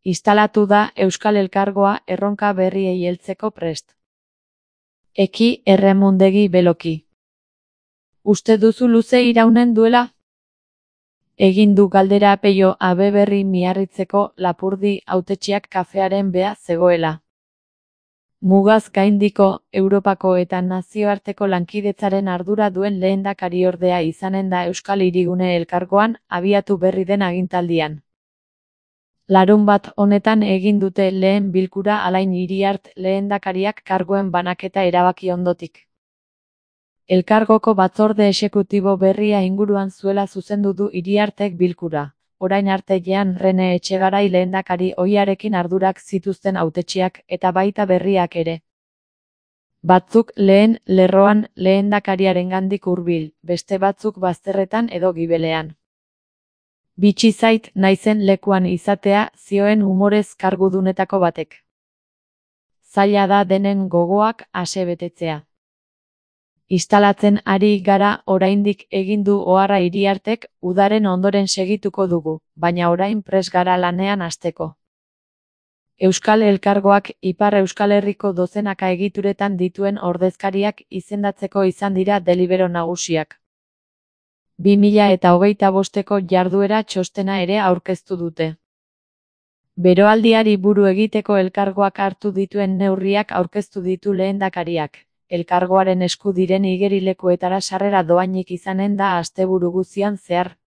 Instalatu da Euskal Elkargoa erronka berriei heltzeko prest. Eki erremundegi beloki. Uste duzu luze iraunen duela? Egin du galdera Peio Abeberri Miarritzeko Lapurdi hautetsiak kafearen bea zegoela. Mugaz gaindiko, Europako eta nazioarteko lankidetzaren ardura duen lehendakariordea izanen da Euskal Hirigune Elkargoan abiatu berri den agintaldian. Larunbat honetan egin dute lehen bilkura Alain Iriart lehendakariak karguen banaketa erabaki ondotik. Elkargoko batzorde exekutibo berria inguruan zuela zuzendu du Iriartek bilkura. Orain arte Jean Rene Etxegarai lehendakari ohiarekin ardurak zituzten hautetsiak eta baita berriak ere. Batzuk lehen lerroan lehendakariarengandik hurbil, beste batzuk bazterretan edo gibelean. Bitxi zait naizen lekuan izatea, zioen umorez kargudunetako batek. Zaila da denen gogoak ase betetzea. Instalatzen ari gara oraindik egin du oharra Iriartek, udaren ondoren segituko dugu, baina orain prest gara lanean hasteko. Euskal Elkargoak Ipar Euskal Herriko dozenaka egituretan dituen ordezkariak izendatzeko izan dira delibero nagusiak. 2025ko jarduera txostena ere aurkeztu dute. Beroaldiari buru egiteko elkargoak hartu dituen neurriak aurkeztu ditu lehendakariak. Elkargoaren esku diren igerilekuetara sarrera doainik izanen da asteburu guztian zehar.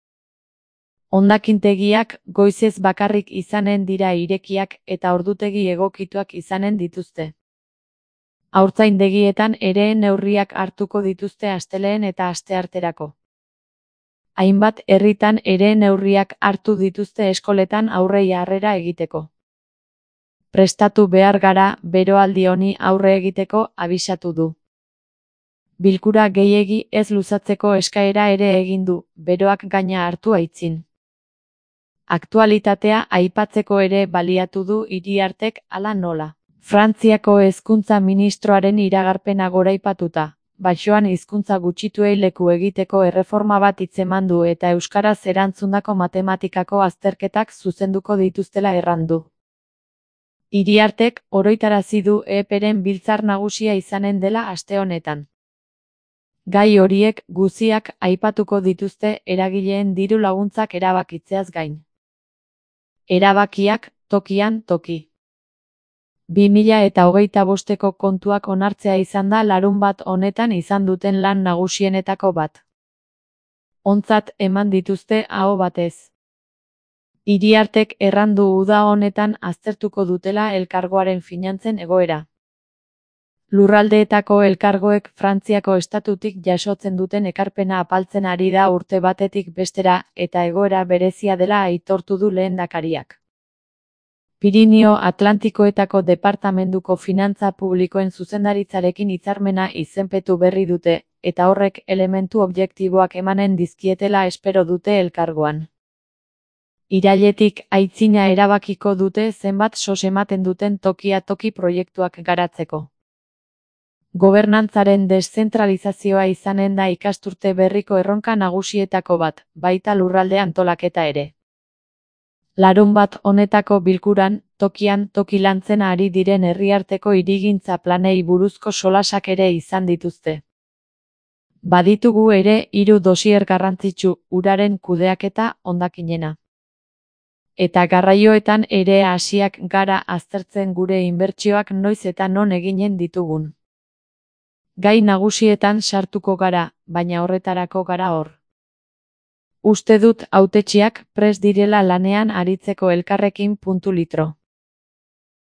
Hondakintegiak goizez bakarrik izanen dira irekiak eta ordutegi egokituak izanen dituzte. Haurtzaindegietan ere neurriak hartuko dituzte astelehen eta astearterako. Hainbat herritan ere neurriak hartu dituzte eskoletan aurrei harrera egiteko. Prestatu behar gara beroaldi honi aurre egiteko abisatu du. Bilkura gehiegi ez luzatzeko eskaera ere egin du, beroak gaina hartu aitzin. Aktualitatea aipatzeko ere baliatu du Iriartek hala nola. Frantziako hezkuntza ministroaren iragarpena goraipatuta. Baixoan hizkuntza gutxituei leku egiteko erreforma bat hitzeman du eta euskaraz erantzundako matematikako azterketak zuzenduko dituztela errandu. Iriartek oroitarazi du EPren biltzar nagusia izanen dela aste honetan. Gai horiek guziak aipatuko dituzte eragileen diru laguntzak erabakitzeaz gain. Erabakiak tokian toki. 2025ko kontuak onartzea izan da larunbat honetan izan duten lan nagusienetako bat. Ontzat eman dituzte aho batez. Iriartek errandu uda honetan aztertuko dutela elkargoaren finantzen egoera. Lurraldeetako elkargoek Frantziako estatutik jasotzen duten ekarpena apaltzen ari da urte batetik bestera eta egoera berezia dela aitortu du lehendakariak. Pirinio Atlantikoetako departamenduko finantza publikoen zuzendaritzarekin hitzarmena izenpetu berri dute, eta horrek elementu objektiboak emanen dizkietela espero dute elkargoan. Irailetik aitzina erabakiko dute zenbat sos ematen duten tokia toki proiektuak garatzeko. Gobernantzaren deszentralizazioa izanen da ikasturte berriko erronka nagusietako bat, baita lurralde antolaketa ere. Larunbat honetako bilkuran, tokian toki lantzen ari diren herriarteko hirigintza planei buruzko solasak ere izan dituzte. Baditugu ere 3 dosier garrantzitsu, uraren kudeaketa, hondakinena. Eta garraioetan ere hasiak gara aztertzen gure inbertsioak noiz eta non eginen ditugun. Gai nagusietan sartuko gara, baina horretarako gara hor. Uste dut hautetsiak prest direla lanean aritzeko elkarrekin ..